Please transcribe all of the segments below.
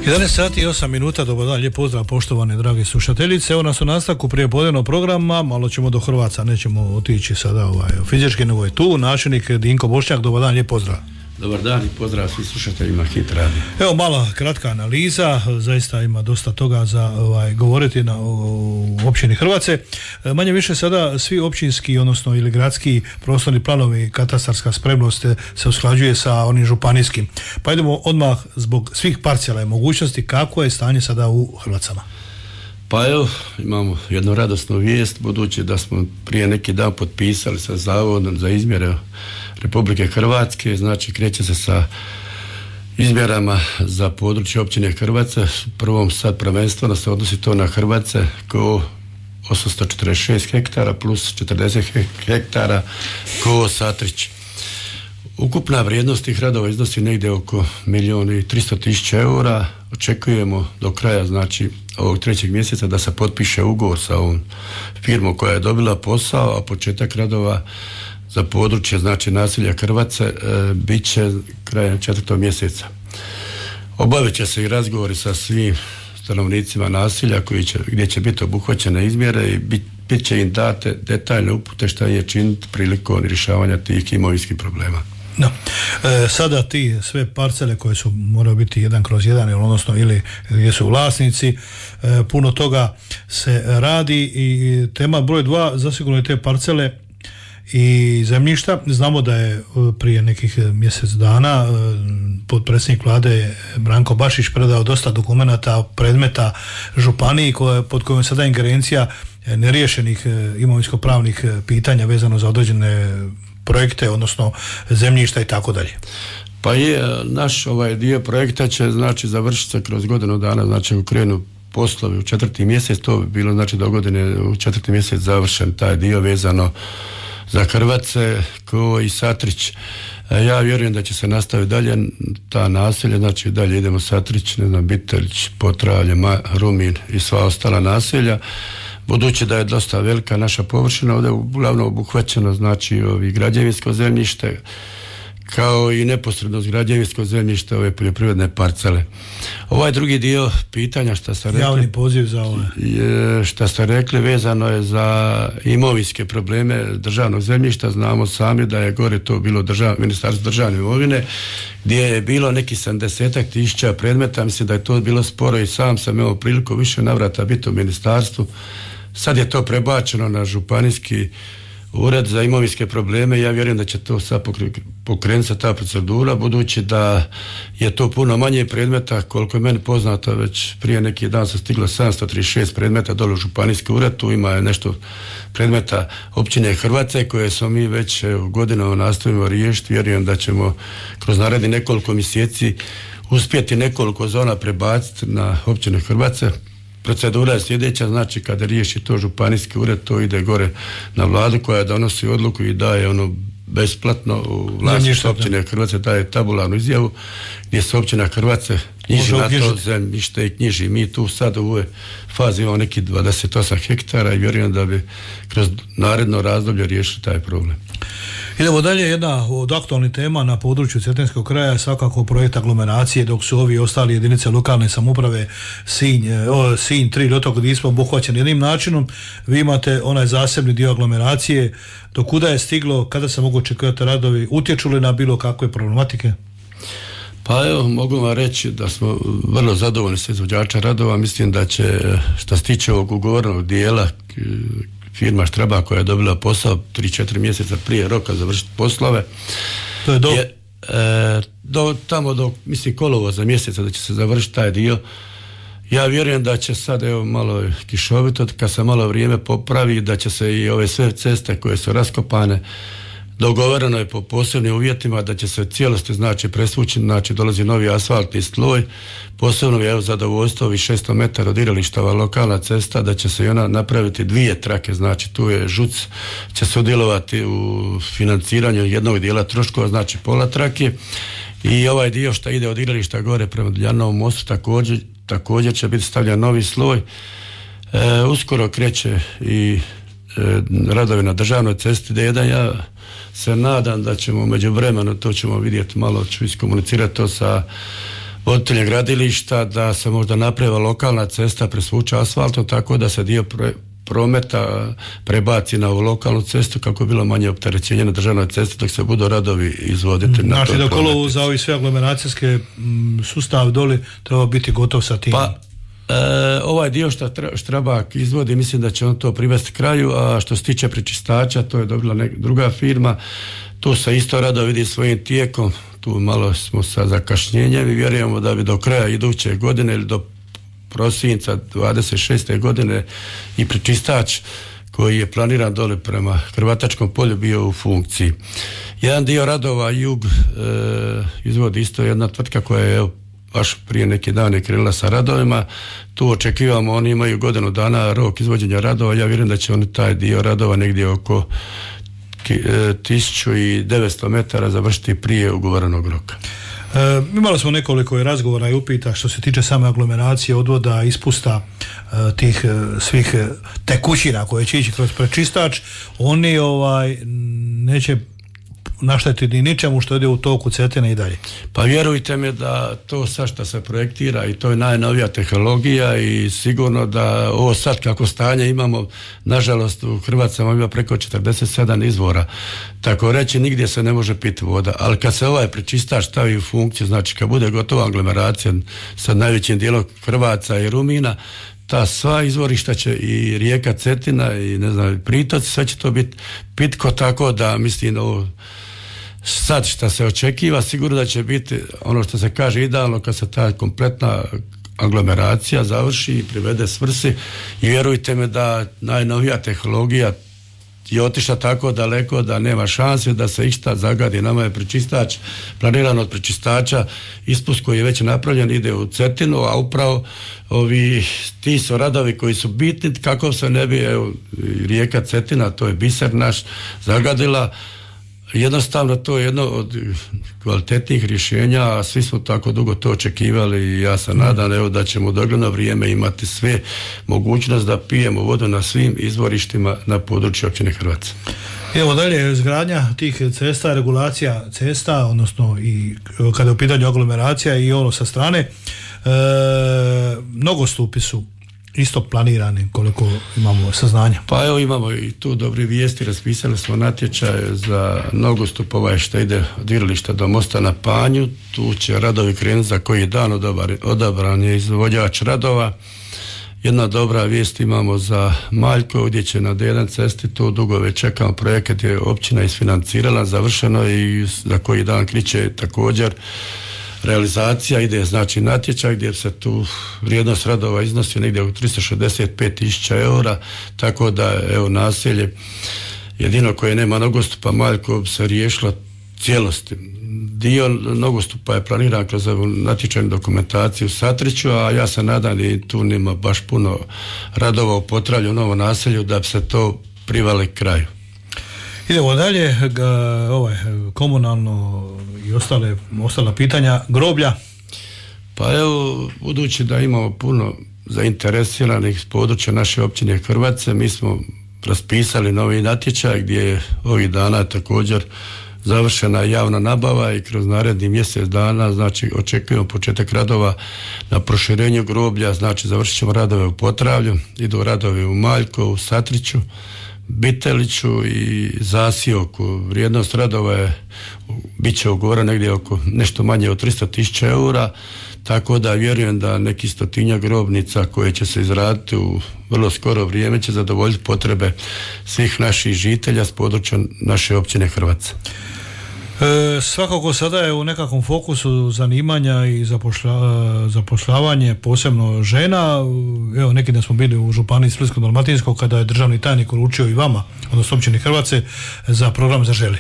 11 sati i 8 minuta, dobar dan, lijep pozdrav poštovane drage slušateljice. Evo nas u nastavku prijepodnevnog programa, malo ćemo do Hrvaca, nećemo otići sada fizički, nego je tu načelnik Dinko Bošnjak, dobar dan, lijep pozdrav. Dobar dan i pozdrav svim slušateljima Hit Radio. Evo mala kratka analiza, zaista ima dosta toga za govoriti u općini Hrvace. Manje više sada svi općinski, odnosno ili gradski prostorni planovi, katastarska spremnost se usklađuje sa onim županijskim. Pa idemo odmah zbog svih parcijala i mogućnosti, kako je stanje sada u Hrvacama. Pa evo, imamo jednu radosnu vijest, budući da smo prije neki dan potpisali sa Zavodom za izmjere Republike Hrvatske, znači kreće se sa izmjerama za područje općine Hrvace. Prvom sad prvenstveno se odnosi to na Hrvace ko 846 hektara plus 40 hektara ko Satrić. Ukupna vrijednost tih radova iznosi negdje oko 1.300.000 eura. Očekujemo do kraja, znači ovog 3. mjeseca, da se potpiše ugovor sa ovom firmom koja je dobila posao, a početak radova za područje, znači naselja Hrvace, bit će krajem 4. mjeseca. Obavit će se i razgovori sa svim stanovnicima naselja gdje će biti obuhvaćene izmjere i bit će im date detaljne upute šta je činiti prilikom rješavanja tih imovinskih problema. No. Sada ti sve parcele koje su moraju biti 1/1, odnosno ili gdje su vlasnici, puno toga se radi i tema broj 2 zasigurno je te parcele i zemljišta. Znamo da je prije nekih mjesec dana potpredsjednik vlade Branko Bašić predao dosta dokumenata, predmeta županiji pod kojom sada ingerencija neriješenih imovinsko-pravnih pitanja vezano za određene projekte, odnosno zemljišta i tako dalje. Pa je, naš dio projekta će znači završiti se kroz godinu dana, znači ukrenu poslovi u 4. mjesec, to bi bilo znači do godine u 4. mjesec završen taj dio vezano za Hrvace ko i Satrić. Ja vjerujem da će se nastaviti dalje ta naselja, znači dalje idemo Satrić, Biteljić, Potravlje, Rumin i sva ostala naselja. Budući da je dosta velika naša površina, ovdje je uglavnom obuhvaćeno znači građevinsko zemljište, kao i neposredno građevinsko zemljište, ove poljoprivredne parcele. Ovaj drugi dio pitanja šta ste rekli, javni poziv za ovo, šta ste rekli vezano je za imovinske probleme državnog zemljišta. Znamo sami da je gore to bilo Ministarstvo državne imovine, gdje je bilo neki 70.000 predmeta. Mislim da je to bilo sporo i sam sam imao priliku više navrata biti u ministarstvu. Sad je to prebačeno na županijski ured za imovinske probleme. Ja vjerujem da će to sad pokrenuti se ta procedura, budući da je to puno manje predmeta. Koliko je meni poznato, već prije neki dan se stiglo 736 predmeta dole u županijski ured. Tu ima nešto predmeta općine Hrvace koje smo mi već godinama nastavimo riješiti. Vjerujem da ćemo kroz narednih nekoliko mjeseci uspjeti nekoliko zona prebaciti na općine Hrvace. Procedura je sljedeća, znači kada riješi to županijski ured, to ide gore na vladu koja donosi odluku i daje ono besplatno u vlasništvu općine Hrvace, daje tabularnu izjavu gdje se općina Hrvace knjiži na to zemljište i knjiži. Mi tu sad u ovoj fazi imamo neki 28 hektara i vjerujem da bi kroz naredno razdoblje riješili taj problem. Idemo dalje, jedna od aktualnih tema na području Cetinskog kraja je svakako projekt aglomeracije, dok su ovi ostali jedinice lokalne samouprave Sinj, Trilj, Otok, gdje smo obuhvaćeni jednim načinom. Vi imate onaj zasebni dio aglomeracije. Do kuda je stiglo, kada se mogu očekivati radovi, utječu li na bilo kakve problematike? Pa evo, mogu vam reći da smo vrlo zadovoljni sa izvođača radova. Mislim da će, što se tiče ovog ugovornog dijela, firma Štraba koja je dobila posao 3-4 mjeseca prije roka završiti poslove. To je tamo do mislim kolovoza mjeseca da će se završiti taj dio. Ja vjerujem da će sad, evo malo kišovito, kad se malo vrijeme popravi, da će se i ove sve ceste koje su raskopane, dogovoreno je po posebnim uvjetima da će se cijelosti znači presvući, znači dolazi novi asfaltni sloj. Posebno je zadovoljstvo ovih 600 metara od igralištava lokalna cesta, da će se i ona napraviti 2 trake, znači tu je ŽUC će sudjelovati u financiranju jednog dijela troškova, znači pola trake, i ovaj dio što ide od igrališta gore prema Duljanovom mostu također će biti stavljan novi sloj. Uskoro kreće i radovi na državnoj cesti D1. Ja se nadam da ćemo međuvremeno, to ćemo vidjeti, malo ću iskomunicirati to sa voditeljem gradilišta da se možda napravi lokalna cesta presvuče asfaltom tako da se dio prometa prebaci na ovu lokalnu cestu kako je bilo manje opterećenje na državnoj cesti dok se budu radovi izvoditi. Znači da kolovu za ovi sve aglomeracijske sustav doli treba biti gotov sa tim? Pa ovaj dio što Štrabak izvodi, mislim da će on to privesti kraju, a što se tiče prečistača, to je dobila druga firma, tu se isto rado vidi svojim tijekom, tu malo smo sa zakašnjenjem i vjerujemo da bi do kraja iduće godine ili do prosinca 26. godine i prečistač koji je planiran dole prema Hrvatačkom polju bio u funkciji. Jedan dio radova Jug izvodi isto jedna tvrtka koja je baš prije neki dan je krenula sa radovima. Tu očekivamo, oni imaju godinu dana rok izvođenja radova. Ja vjerujem da će oni taj dio radova negdje oko 1900 metara završiti prije ugovorenog roka. Imali smo nekoliko razgovora i upita što se tiče same aglomeracije, odvoda, ispusta tih svih tekućina koje će ići kroz prečistač. Oni neće naštetiti ničemu što ide u toku Cetine i dalje. Pa vjerujte mi da to sad što se projektira i to je najnovija tehnologija i sigurno da ovo sad kako stanje imamo, nažalost u Hrvatskama ima preko 47 izvora. Tako reći nigdje se ne može piti voda, ali kad se ovaj prečistač stavi u funkciju, znači kad bude gotova aglomeracija sa najvećim dijelom Hrvaca i Rumina, ta sva izvorišta će i rijeka Cetina i ne znam pritoci, sve će to biti pitko, tako da mislim ovo sad što se očekiva sigurno da će biti ono što se kaže idealno kad se ta kompletna aglomeracija završi i privede svrsi i vjerujte me da najnovija tehnologija je otišla tako daleko da nema šanse da se išta zagadi. Nama je prečistač, planiran od prečistača, ispust koji je već napravljen ide u Cetinu, a upravo ti su radovi koji su bitni kako se ne bi rijeka Cetina, to je biser naš, zagadila. Jednostavno to je jedno od kvalitetnih rješenja, a svi smo tako dugo to očekivali i ja se nadam da ćemo u dogledno vrijeme imati sve mogućnost da pijemo vodu na svim izvorištima na području općine Hrvaca. Evo dalje, izgradnja tih cesta, regulacija cesta, odnosno i kada je u pitanju aglomeracija i ono sa strane, nogostupi su isto planirani koliko imamo saznanja. Pa evo imamo i tu dobre vijesti, raspisali smo natječaj za nogostup što ide od igrališta do mosta na Panju, tu će radovi krenuti za koji dan, odabran je izvođač radova. Jedna dobra vijest imamo za Maljko gdje će na D1 cesti, tu dugo već čekamo, projekat je općina isfinancirala, završeno i za koji dan kreće također realizacija, ide znači natječaj gdje se tu vrijednost radova iznosi negdje oko 365.000 eura, tako da evo naselje jedino koje nema nogostupa Maljko se riješilo cijelosti. Dio nogostupa je planiran kroz natječajnu dokumentaciju u Satriću, a ja se nadam i tu nema baš puno radova u Potravlju u novom naselju da bi se to privali kraju. Idemo dalje, komunalno i ostala pitanja, groblja. Pa evo, budući da imamo puno zainteresiranih s područja naše općine Hrvace, mi smo raspisali novi natječaj gdje je ovih dana također završena javna nabava i kroz naredni mjesec dana znači očekujemo početak radova na proširenju groblja, znači završit ćemo radove u Potravlju, idu radovi u Maljko, u Satriću, Biteliću i Zasioku. Vrijednost radova je bit će ugovora negdje oko nešto manje od 300.000 eura, tako da vjerujem da neki 100-tinjak grobnica koje će se izraditi u vrlo skoro vrijeme će zadovoljiti potrebe svih naših žitelja s područja naše općine Hrvaca. Svakako sada je u nekakvom fokusu zanimanja i zapošljavanje posebno žena. Evo neki dan smo bili u županiji Splitsko-dalmatinskog kada je državni tajnik uručio i vama, odnosno općini Hrvace, za program Zaželi.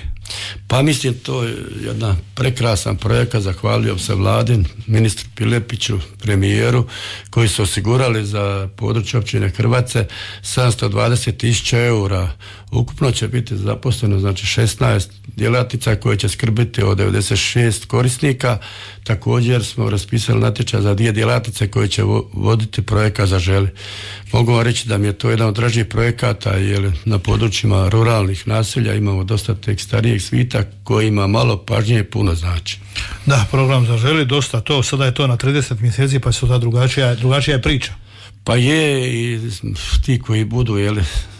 Pa mislim to je jedan prekrasan projekat, zahvalio se Vladin, ministru Pilepiću, premijeru koji su osigurali za područje općine Hrvace 720.000 eura. Ukupno će biti zaposleno znači 16 djelatnica koje će skrbiti o 96 korisnika. Također smo raspisali natječaj za 2 djelatnice koje će voditi projekat Zaželi. Mogu vam reći da mi je to jedan od dražih projekata jer na područjima ruralnih naselja imamo dosta tek starijeg Hrvatskih svita kojima malo pažnje i puno znači. Da, program Zaželi, dosta to, sada je to na 30 mjeseci pa su ta drugačija je priča. Pa je, i ti koji budu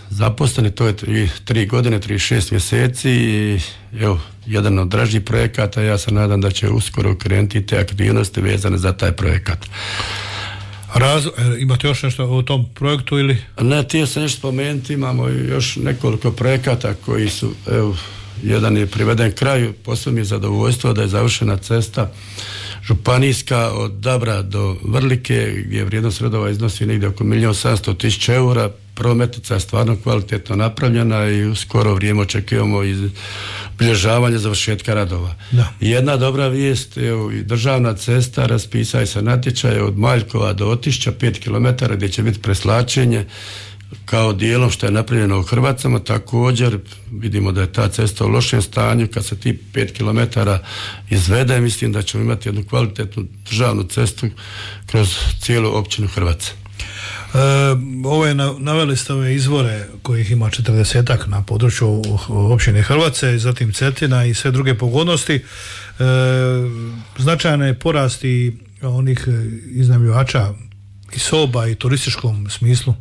zaposleni, to je 3 godine, 36 mjeseci i evo, jedan od dražih projekata, ja se nadam da će uskoro krenuti te aktivnosti vezane za taj projekat. Imate još nešto o tom projektu ili? Ne, htio sam nešto spomenuti, imamo još nekoliko projekata koji su, evo, jedan je priveden kraju, posebno mi je zadovoljstvo da je završena cesta županijska od Dabra do Vrlike, gdje vrijednost radova iznosi negdje oko 1.700.000 eura. Prometnica je stvarno kvalitetno napravljena i u skoro vrijeme očekujemo obilježavanje završetka radova. Da. Jedna dobra vijest, evo, i državna cesta, raspisao se natječaj od Maljkova do Otišća 5 km gdje će biti preslačenje kao dijelom što je napravljeno u Hrvacama. Također vidimo da je ta cesta u lošem stanju. Kad se ti 5 km izvede, mislim da ćemo imati jednu kvalitetnu državnu cestu kroz cijelu općinu Hrvace. Naveli ste ove izvore kojih ima 40-ak na području općine Hrvace, zatim Cetina i sve druge pogodnosti. Značajan je porast i onih iznajmljivača i soba i turističkom smislu.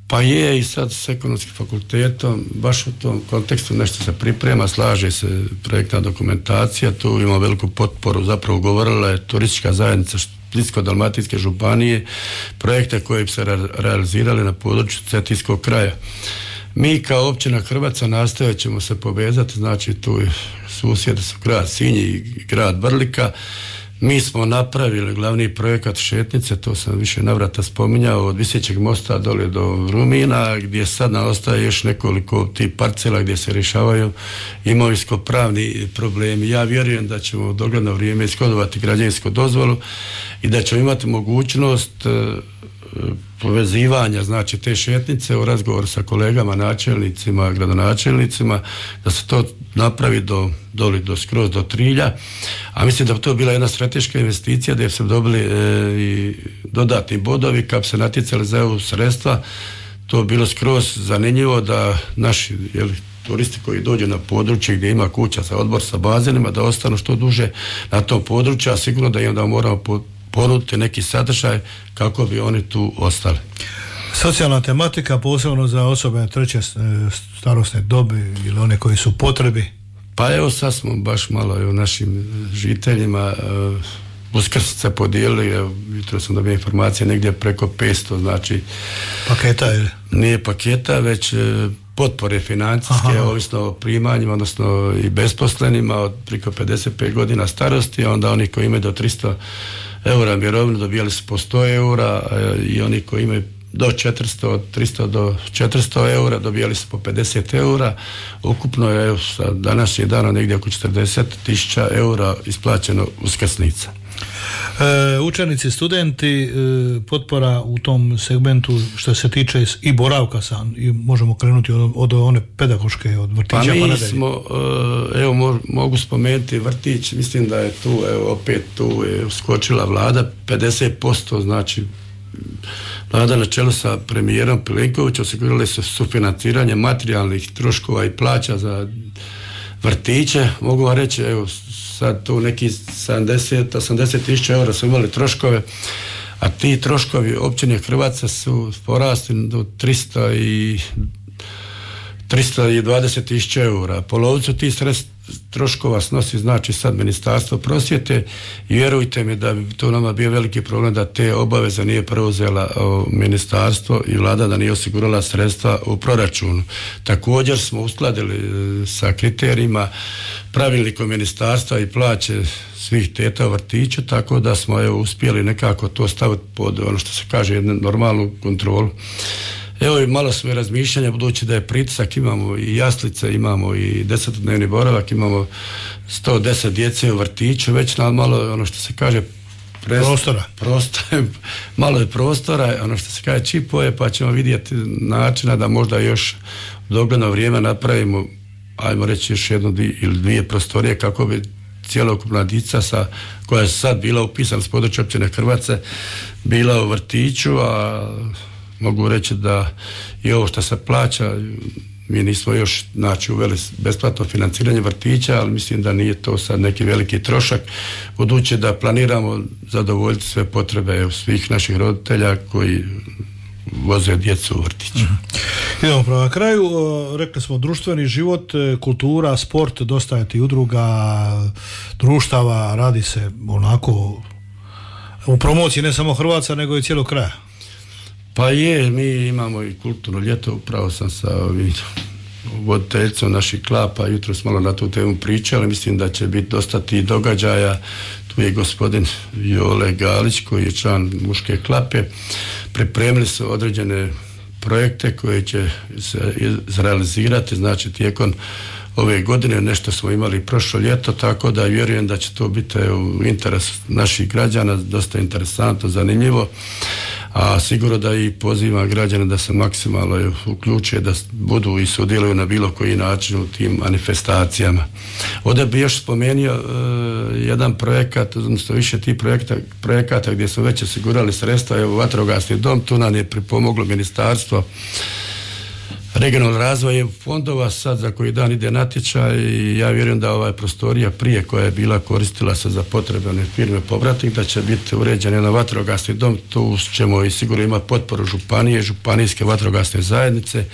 Pa je, i sad s ekonomskim fakultetom baš u tom kontekstu nešto se priprema, slaže se projektna dokumentacija, tu ima veliku potporu, zapravo govorila je turistička zajednica Splitsko-dalmatinske županije, projekte koji bi se realizirali na području cetinskog kraja. Mi kao općina Hrvaca nastojat ćemo se povezati, znači tu susjedi su grad Sinj i grad Vrlika. Mi smo napravili glavni projekat šetnice, to sam više navrata spominjao, od Visećeg mosta dole do Rumina, gdje sad nam ostaje još nekoliko tih parcela gdje se rješavaju imovinsko-pravni problemi. Ja vjerujem da ćemo u dogledno vrijeme ishodovati građevinsku dozvolu i da ćemo imati mogućnost povezivanja, znači te šetnice u razgovoru sa kolegama, načelnicima, gradonačelnicima, da se to napravi skroz do Trilja, a mislim da bi to bila jedna strateška investicija gdje su dobili i dodatni bodovi kad bi se natjecali za EU sredstva. To bi bilo skroz zanimljivo da naši turisti koji dođu na područje gdje ima kuća za odmor sa bazenima da ostanu što duže na tom području, a sigurno da im da moramo ponuditi neki sadržaj kako bi oni tu ostali. Socijalna tematika posebno za osobe treće starosne dobi ili one koji su u potrebi? Pa evo sad smo baš malo našim žiteljima uskrsnice podijelili, jutro sam dobio informacije negdje preko 500, znači paketa ili? Nije paketa, već potpore financijske, ovisno o primanjima, odnosno i besposlenima od preko 55 godina starosti, a onda oni koji imaju do 300 eura mirovinu dobijali su po 100 eura i oni koji imaju do 400, od 300 do 400 eura dobijali su po 50 eura. Ukupno je sa današnjeg dana negdje oko 40.000 eura isplaćeno uskrsnica. Učenici, studenti, potpora u tom segmentu što se tiče i boravka i možemo krenuti od one pedagoške, od vrtića pa nadalje. Mi smo, mogu spomenuti vrtić, mislim da je tu, opet tu je uskočila vlada, 50%, znači vlada na čelu sa premijerom Plenkovićem osigurali su sufinanciranje materijalnih troškova i plaća za vrtiće. Mogu vam reći, sad tu neki 70-80 eura su imali troškove, a ti troškovi općine Hrvatske su porasli do 320 eura. Polovicu tih troškova snosi znači sad Ministarstvo prosvjete i vjerujte mi da bi to nama bio veliki problem da te obaveze nije preuzela ministarstvo i vlada, da nije osigurala sredstva u proračunu. Također smo uskladili sa kriterijima pravilnikom ministarstva i plaće svih teta u vrtiću, tako da smo uspjeli nekako to staviti pod ono što se kaže jednu normalnu kontrolu. Evo i malo svoje razmišljanja, budući da je pritisak, imamo i jaslice, imamo i 10-dnevni boravak, imamo 110 djece u vrtiću, već malo ono što se kaže malo je prostora, ono što se kaže čipove, pa ćemo vidjeti načina da možda još u dogledno vrijeme napravimo, ajmo reći još jednu ili dvije prostorije kako bi cjelokupna djeca koja je sad bila upisana s područja općine Hrvace bila u vrtiću, a mogu reći da i ovo što se plaća Mi nismo još uveli besplatno financiranje vrtića, ali mislim da nije to sad neki veliki trošak, budući da planiramo zadovoljiti sve potrebe svih naših roditelja koji voze djecu u vrtić. Idemo prema kraju. Rekli smo društveni život, kultura, sport, dosta je ti udruga, društava, radi se onako u promociji ne samo Hrvatska nego i cijelog kraja. Pa je, mi imamo i kulturno ljeto, upravo sam sa voditeljicom naših klapa jutros malo na tu temu pričali, mislim da će biti dosta tih događaja. Tu je gospodin Jole Galić koji je član muške klape, pripremili su određene projekte koje će se izrealizirati, znači tijekom ove godine, nešto smo imali prošlo ljeto, tako da vjerujem da će to biti u interesu naših građana, dosta interesantno, zanimljivo, a sigurno da i pozivam građane da se maksimalno uključe, da budu i sudjeluju na bilo koji način u tim manifestacijama. Ovdje bi još spomenuo jedan projekat, odnosno više tih projekata gdje smo već osigurali sredstva, evo vatrogasni dom, tu nam je pripomoglo ministarstvo regionalnog razvoja i fondova, sad za koji dan ide natječaj i ja vjerujem da ova prostorija prije koja je bila koristila se za potrebe one firme povratnik, da će biti uređen jedan vatrogasni dom, tu ćemo i sigurno imati potporu županije, županijske vatrogasne zajednice.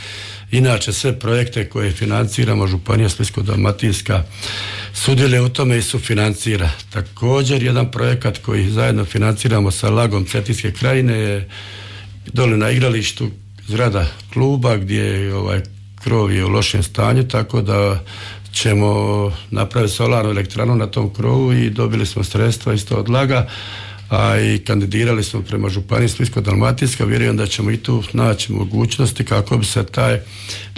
Inače sve projekte koje financiramo, županija Splitsko-dalmatinska sudjeluje u tome i sufinancira. Također jedan projekat koji zajedno financiramo sa Lagom Cetinske krajine je dole na igralištu zgrada kluba gdje krov je u lošem stanju, tako da ćemo napraviti solarnu elektranu na tom krovu i dobili smo sredstva isto od Laga, a i kandidirali smo prema županiji Splitsko-dalmatinska. Vjerujem da ćemo i tu naći mogućnosti kako bi se taj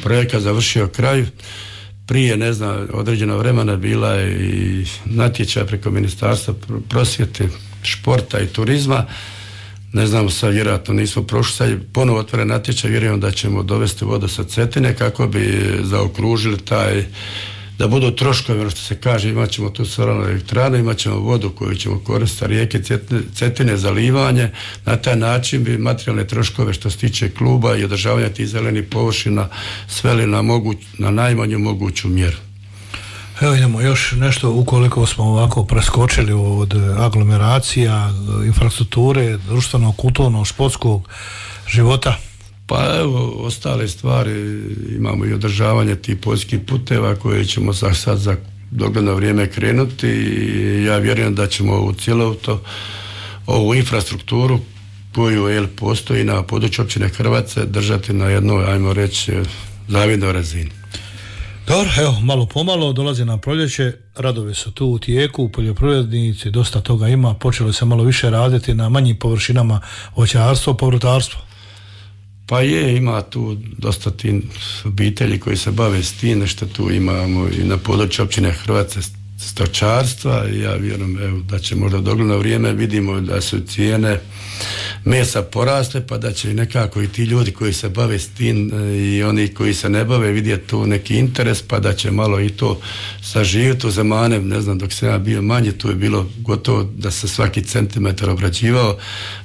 projekat završio kraj. Prije, ne znam, određeno vremena bila je i natječaj preko Ministarstva prosvjete, športa i turizma. Ne znam, sad vjerojatno nismo prošli, sad je ponovo otvoren natječaj, vjerujem da ćemo dovesti vodu sa Cetine kako bi zaokružili taj, da budu troškovi, ono što se kaže, imat ćemo tu solarnu elektranu, imat ćemo vodu koju ćemo koristiti rijeke Cetine za livanje, na taj način bi materijalne troškove što se tiče kluba i održavanja tih zelenih površina sveli na najmanju moguću mjeru. Evo idemo još nešto, ukoliko smo ovako preskočili od aglomeracija, infrastrukture, društvenog, kulturnog, športskog života. Pa evo, ostale stvari, imamo i održavanje tih poljskih puteva koje ćemo sad za dogledno vrijeme krenuti i ja vjerujem da ćemo u cjelovito ovu infrastrukturu koju postoji na području općine Hrvace držati na jednoj, ajmo reći, zavidnoj razini. Dobro, evo, malo pomalo dolazi nam proljeće, radovi su tu u tijeku, poljoprivrednici, dosta toga ima, počelo se malo više raditi na manjim površinama voćarstvo, povrtarstvo. Pa je, ima tu dosta tih obitelji koji se bave s tim, nešto tu imamo i na području općine Hrvace stočarstva i ja vjerujem da će možda dogledno vrijeme, vidimo da su cijene mesa porasle, pa da će nekako i ti ljudi koji se bave s tim i oni koji se ne bave vidjeti tu neki interes, pa da će malo i to saživjeti u zamane. Ne znam, dok sam ja bio manji, tu je bilo gotovo da se svaki centimetar obrađivao.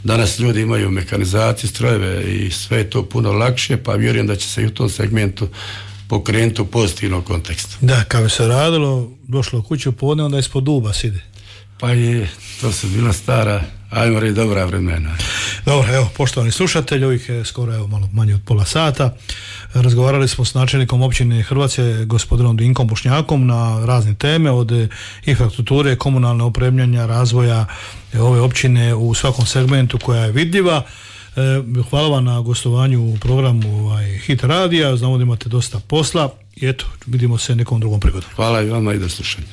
Danas ljudi imaju mehanizaciju, strojeve i sve je to puno lakše, pa vjerujem da će se i u tom segmentu pokrenuti u pozitivnom kontekstu. Da, kad bi se radilo, došlo u kuću podne, onda ispod duba sidi. Pa je, to su bila stara, ajmo reći, dobra vremena. Dobro, evo, poštovani slušatelji, ovih je skoro malo manje od pola sata. Razgovarali smo s načelnikom općine Hrvace, gospodinom Dinkom Bošnjakom, na razne teme, od infrastrukture, komunalne opremljanja, razvoja ove općine u svakom segmentu koja je vidljiva. Hvala vam na gostovanju u programu Hit radija, znamo da imate dosta posla i eto, vidimo se nekom drugom prigodom. Hvala i vama i do slušanja.